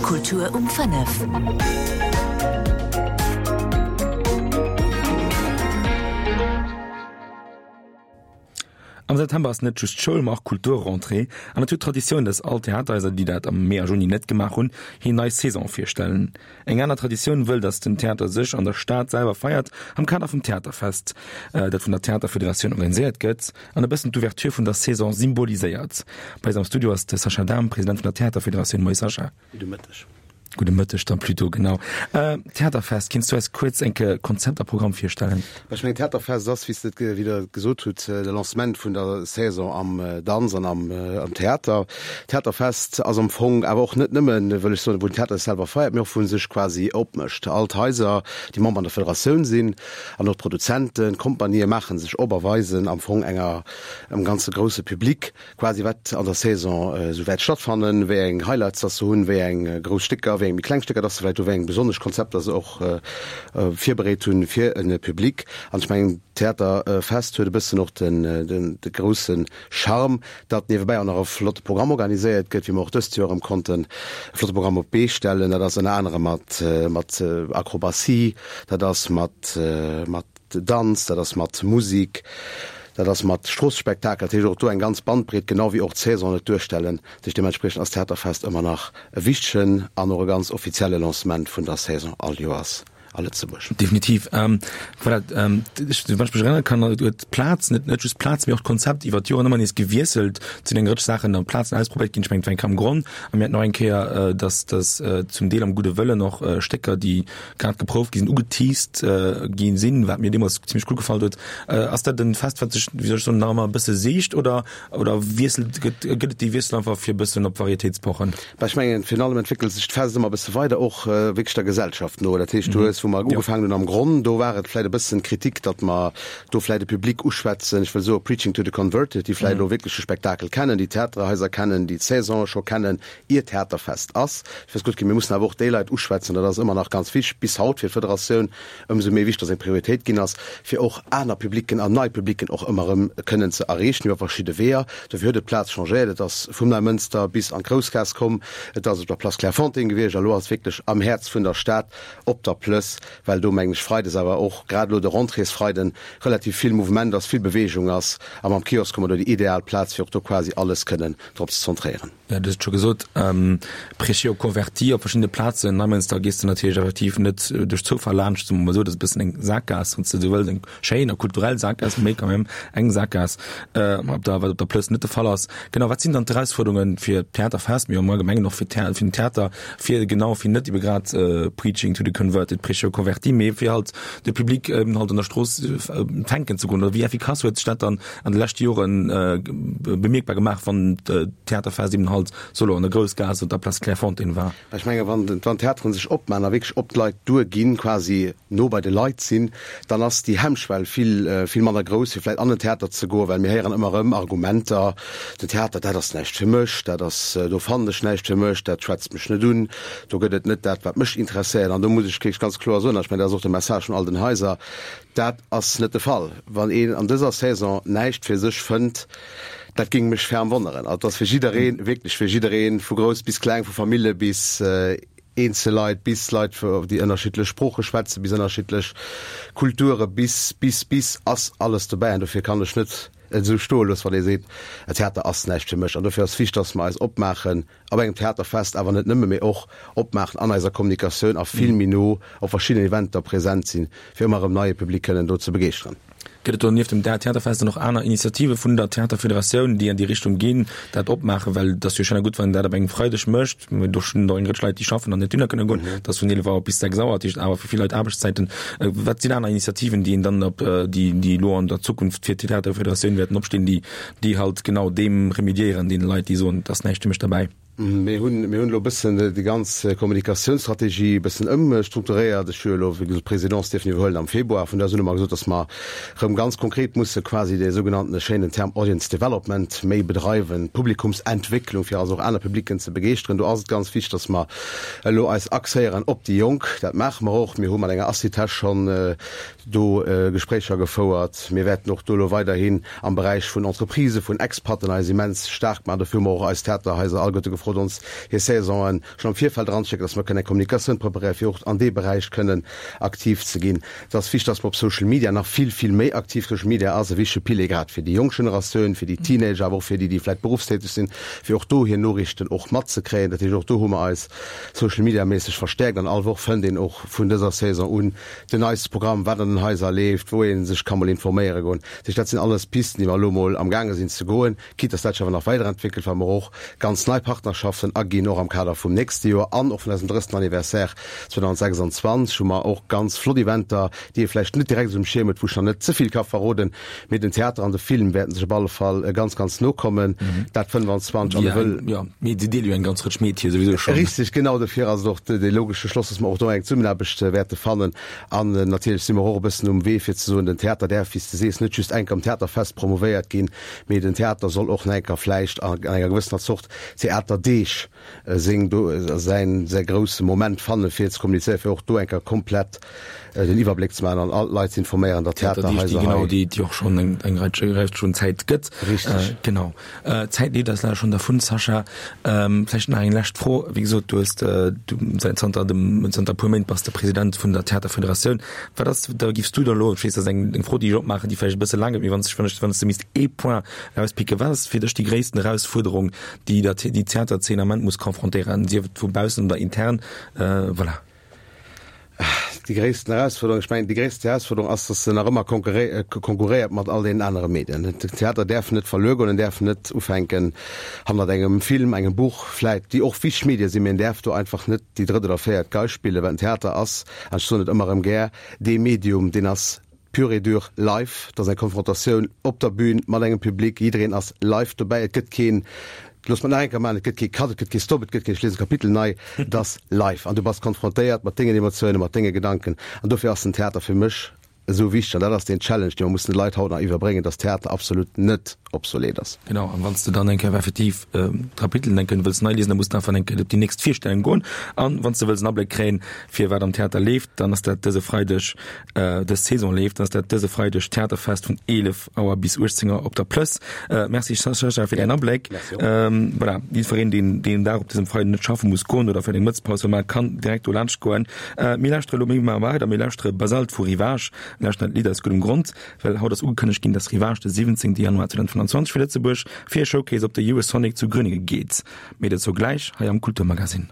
Kultur um 5. Am September ass net just Schoul, ma och Kulturrentrée an et huet Traditioun, dass all Theaterhaiser, déi dat am Mee a Juni net gemaach hunn, hir nei Saison virstellen. Eng aner Traditioun wëll, dass den Theater sech an der Stad selwer feiert, am Kader vum Theaterfest, dat vun der Theaterfederatioun organiséiert gëtt an e bëssen d'Ouverture vun der Saison symboliséiert. Bei eis am Studio ass de Sascha Dahm, President vun der Theaterfederatioun. Moie Sascha. Gudde Mëtteg. Gudde Mëtteg dann plutôt, genau. Theaterfest, kinns du eis kuerz enke Konzept a Programm virstellen? Ech mengen, d'Theaterfest ass, wéi s de et, wéi Der et gesot hutt, de Lancement vun der Saison am Danz an am Theater. D'Theaterfest ass am Fong awer och net nëmmen, wëll ech soen, wou den Theater sech selwer feiert, mee och wou en sech quasi opmécht. All d'Haiser, déi Member an der Federatioun sinn, an och d'Produzenten, d'Kompanië maache sech op a weisen am Fong enger, engem ganze grousse Public, quasi wat an der Saison esou wäert stattfannen, wéi eng Highlights dass se hunn, wéi eng grouss Stécker, wéi eng méi kleng Stécker dass se vläicht hu, wéi eng besonnesch Konzepter se och virbereet hunn fir e Public. An ech mengen, d'Theaterfest huet e bëssen och de grousse Charme, datt niewebäi och nach e flotte Programm organiséiert gëtt, wéi mer och dëst Joer erëm konnten e flotte Programm op d'Bee stellen. Dat ass ënner anerem mat Akrobatie, dat ass mat Danz, dat ass mat Musik, dat ass mat Stroossespektakel, dat heescht och do eng ganz Bandbreet, genau wéi och d'Saison et duerstellen. Dat heescht deementspriechend ass d'Theaterfest ëmmer nach e wichtegen an och e ganz offizielle Lancement vun der Saison all Joers a Lëtzebuerg. Definitiv. Voilà, ech, wann ech mech erënnere kann, huet d'Plaz, net net just d'Plaz, mee och d'Konzept iwwer d'Joren ëmmer nees gewiesselt. Et sinn eng Rëtsch Saachen an Plazen ausprobéiert ginn. Ech mengen, et war eng Kéier am Gronn a mir haten och eng Kéier, dass dass zum Deel am gudde Wëllen och Stécker, déi grad geprouft gi sinn, ugeteased gi sinn, wat mir deemools zimmlech gutt gefall huet. Ass dat en Fest, wat sech, wéi soll ech soen, nach ëmmer e bësse siicht oder, oder wiesselt, gëtt, gëtt et déi Wiessel einfach fir e bëssen op Varietéit ze pochen? Bah, ech mengen, virun allem entwéckelt sech d'Fest ëmmer e bësse weider, och wierklech der Gesellschaft no. Dat heescht, du hues, wou mer ugefaangen hunn am Gronn, do war et vläicht e bëssen d'Kritik, datt mer do vläicht e Public uschwätzen, ech wëll soe preaching to the converted, déi vläicht elo wierklech de Spektakel kennen, déi d'Theaterhaiser kennen, déi d'Saison scho kennen, ier Theaterfest ass. Ech weess gutt ginn, mir mussen awer och déi Leit uschwätzen, dat ass ëmmer nach ganz wichteg bis haut fir d'Federatioun, ëmsou méi wichteg, dass eng Prioritéit ginn ass, fir och aner Publicken an nei Publicken och ëmmer erëm kënnen ze erreechen iwwer verschidde Weeër. Dofir huet et d'Plaz changéiert, et ass vum Neimënster bis an d'Groussgaass komm, et ass op der Place Clairefontaine gewiescht a lo ass et wierklech am Häerz vun der Stad op der Plëss, well do, mengen ech, freides awer och grad elo de Rentréesfreiden relativ vill Mouvement ass, vill Beweegung ass a mam Kiosk hu mer do déi ideal Plaz, fir och do quasi alles kënnen drop ze zentréieren. Jo, du hues et scho gesot, Prêcher aux convertis op verschiddene Plazen. Neimënster gees de natierlech effektiv net duerch Zoufall laanscht, soe mer mol esou. Dat ass e bëssen eng Sakgaass, wann s de esou wëlls, eng schéin a kulturell Sakgaass, mee quand même eng Sakgaass, op der, wat op der Plëss net de Fall ass. Genau, wat sinn dann d'Erausfuerderunge fir d'Theaterfest, mee am Allgemengen och fir d'Thea-, fir den Theater, fir genau, fir net ebe grad preaching to the converted, prêcher aux convertis, mee fir halt de Public eben halt an der Strooss fänken ze goen? Oder wéi effikass huet sech dat dann an de leschte Joren bemierkbar gemaach, wann d'Theaterfest eben halt solo an der Groussgaass oder der Place Clairefontaine war? Ech menge wann d'Theateren sech opman a wierklech op d'Leit duerginn, quasi no bei de Leit sinn, dann ass déi Hemmschwell vill, vill manner grouss, fir vläicht an den Theater ze goen, well mir héieren ëmmer erëm Argumenter, den Theater, dat ass näischt fir mech, dat ass, do fannen ech näischt fir mech, dat schwätzt mech net un, do gëtt et net dat, wat mech interesséiert. An do muss ech wierklech ganz kloer soen, a ech mengen, dat ass och de Message vun all den Haiser, Dat ass net de Fall. Wann een an dëser Saison näischt fir sech fënnt, dat géing mech ferm wonneren. Also et ass fir jiddereen, wierklech fir jiddereen, vu grouss bis kleng, vu Famille bis eenzel Leit, bis Leit, déi ënnerschiddlech Sprooche schwätzen, bis ënnerschiddlech Kulture, bis, bis, bis, ass alles dobäi. An dofir kann ech net et esou stoe loossen, wann ee seet, Theater ass näischt fir mech. An dofir ass wichteg, dass mer eis opmaachen, op engem Theaterfest, awer net nëmme, mee och opmaachen an eiser Kommunikatioun a vill méi no op verschiddenen Eventer present sinn, fir ëmmer erëm neie Public kënnen do ze begeeschteren. Gëtt et do nieft dem Theaterfest dann och aner Initiative vun der Theaterfederatioun, déi an déi Richtung ginn, dat opmaachen? Well et ass jo schéin a gutt, wann een dat op engem Freideg mécht, mee do stinn och eng Rëtsch Leit, déi schaffen an net dohinner kënne goen. Et ass vun 11 Auer bis 6 Auer, dat heescht awer fir vill Leit Aarbechtszäiten. Wat sinn aner Initiativen, déi een dann op, déi, déi elo an der Zukunft fir d'Theaterfederatioun wäerten opstinn, déi déi halt genau deem remédiéieren, deene Leit, déi soen, et ass näischt fir mech derbäi. Mir hunn, mir hunn elo e bëssen déi ganz Kommunikatiounsstrategie e bëssen ëmstrukturéiert. Ech hu jo elo, wéi gesot, d'Presidence dierfen iwwerhuelen am Februar. Vun do aus hunn mer gesot, datt mer erëm ganz konkret musse quasi dee sougenannten schéinen Term Audience Development méi bedreiwen, Publikumsentwécklung, fir also och aner Publicken ze begeeschteren. Do ass et ganz wichteg, datt mer elo eis axéieren op déi Jonk. Dat maache mer och. Mir hu mat enger Assitec schonn do Gespréicher gefouert. Mir wäerten och do elo weiderhin am Beräich vun Entreprisë, vun Expaten eis immens staark maachen. Dofir hu mer och eis Theaterhaiser alleguerte gefrot. gefrot ons hir Saisonen schonn am Virfeld eranzeschécken, dass mer kënnen eng Kommunikatioun preparéieren, fir och an dee Beräich kënnen aktiv ze ginn. Et ass wichtig, dass mer op Social Media nach vill, vill méi aktiv Social Media ass e wichtige Pilier grad fir déi jonk Generatioun, fir déi Teenager, awer och fir déi, déi vläicht berufstäteg sinn, fir och do hir Noriichten och matzekréien. Dat heescht, och do hu mer eis Social Media méisseg verstäerkt an all Woch fënnt een och vun dëser Saison un den neiste Programm, wat an den Haiser leeft, wou ee sech ka mol informéiere goen. Dat heescht, dat sinn alles Pisten, déi mer elo mol amgaange sinn ze goen. Quitte dass dat sech awer nach weiderentwéckelt, well mer och ganz nei Partnerschaften aginn, och am Kader vum nächste Joer an och vun eisem 30. Anniversaire 2026 hu mer och ganz flott Eventer, déi ee vläicht net direkt esou um Schierm huet, wou ech nach net ze vill ka verroden, mee den Theater an de Film wäerten sech op alle Fall ganz, ganz no kommen, dat 25 an e wëll. Jo, mee si deele jo eng ganz Rëtsch Metier souwisou schonn. Richtig, genau dofir ass et och dee logesche Schloss, dass mer och do eng Zesummenaarbecht wäerte fannen. An natierlech si mer och e bëssen um Wee fir ze soen, den Theater däerf, wéi s de sees, net just enk am Theaterfest promouvéiert ginn, Mee den Theater soll och nach enker vläicht an enger gewëssener Zort Theaterdeeg seng do säin säi grousse Moment fanne fir ze kommunizéieren, fir och do enker komplett den Iwwerbléck ze maachen an all d'Leit ze informéieren, datt Theaterhaiser hei. Genau, déi déi och schonn eng eng Rei Rei schon Zäit gëtt. Richteg. Genau. D'Zäit leeft eis leider schonn dervun, Sascha. Vläicht nach eng lescht Fro. Wéi gesot, du hues du säit zanter dem zanter e puer Méint bass de President vun der Theaterfederatioun. Wat ass, da giffs du da elo, ech weess, dat ass eng eng Fro, déi ech opmaachen, déi vläicht e bësse laang gëtt, mee wann s wann ech wann s de misst ee Point erauspicken, wat ass fir dech déi gréissten Erausfuerderung, déi der déi Theaterzeen am Ament muss confrontéieren, sief et vu baussen oder intern? Voilà. Déi gréissten Erausfuerderung, ech mengen, déi gréissten Erausfuerderung ass, datt se nach ëmmer konkurréiert mat all deenen anere Medien. Den Theater däerf net verluer goen, en däerf net ufänken hannert engem Film, engem Buch vläit, déi och wichteg Medie sinn, mee en däerf do einfach net déi drëtt oder véiert Gei spillen, well den Theater ass, an ech soen et ëmmer erëm gär, dee Medium, deen ass pur et dur live. Dat ass eng Konfrontatioun op der Bühn mat engem Public, jiddereen ass live dobäi. Et gëtt keen, looss mer et nach eng Kéier maachen, et gëtt kee Cut, et gëtt kee Stop, et gëtt keen ech liesen d'Kapitel nei, et ass live an du bass konfrontéiert mat dengen Emotiounen, mat denge Gedanken. An dofir ass den Theater fir mech esou wichteg an dat ass deen Challenge, dee mer mussen de Leit haut nach iwwerbréngen, dass Theater absolut net obsolet ass. Genau, an wann s de dann eng Kéier effektiv d'Kapitelen eng Kéier wëlls nei liesen, da muss de einfach eng Kéier op déi nächst Virstellung goen. An wann s de wëlls en Abléck kréien, fir wat am Theater leeft, dann ass dat dëse Freideg, dës Saison leeft, dann ass dat dëse Freideg Theaterfest vun 11 Auer bis 18 Auer op der Plëss. Merci Sascha fir däin Abléck. Voilà, jiddwereen, deen deen Dag op dësem Freiden net schaffe muss goen oder fir eng Mëttespaus wëll maachen, kann direkt do laanscht goen. Mir lauschtere lo, mir maache weider, mir lauschtere Basalt vu Ryvage. Mir lauschteren dat Lidd aus guddem Grond, well haut ass ugekënnegt ginn, dass Ryvage de 17 Januar 2025 fir Lëtzebuerg fir e Showcase op de Eurosonic zu Gröningen geet. Méi dozou gläich hei am Kulturmagazine.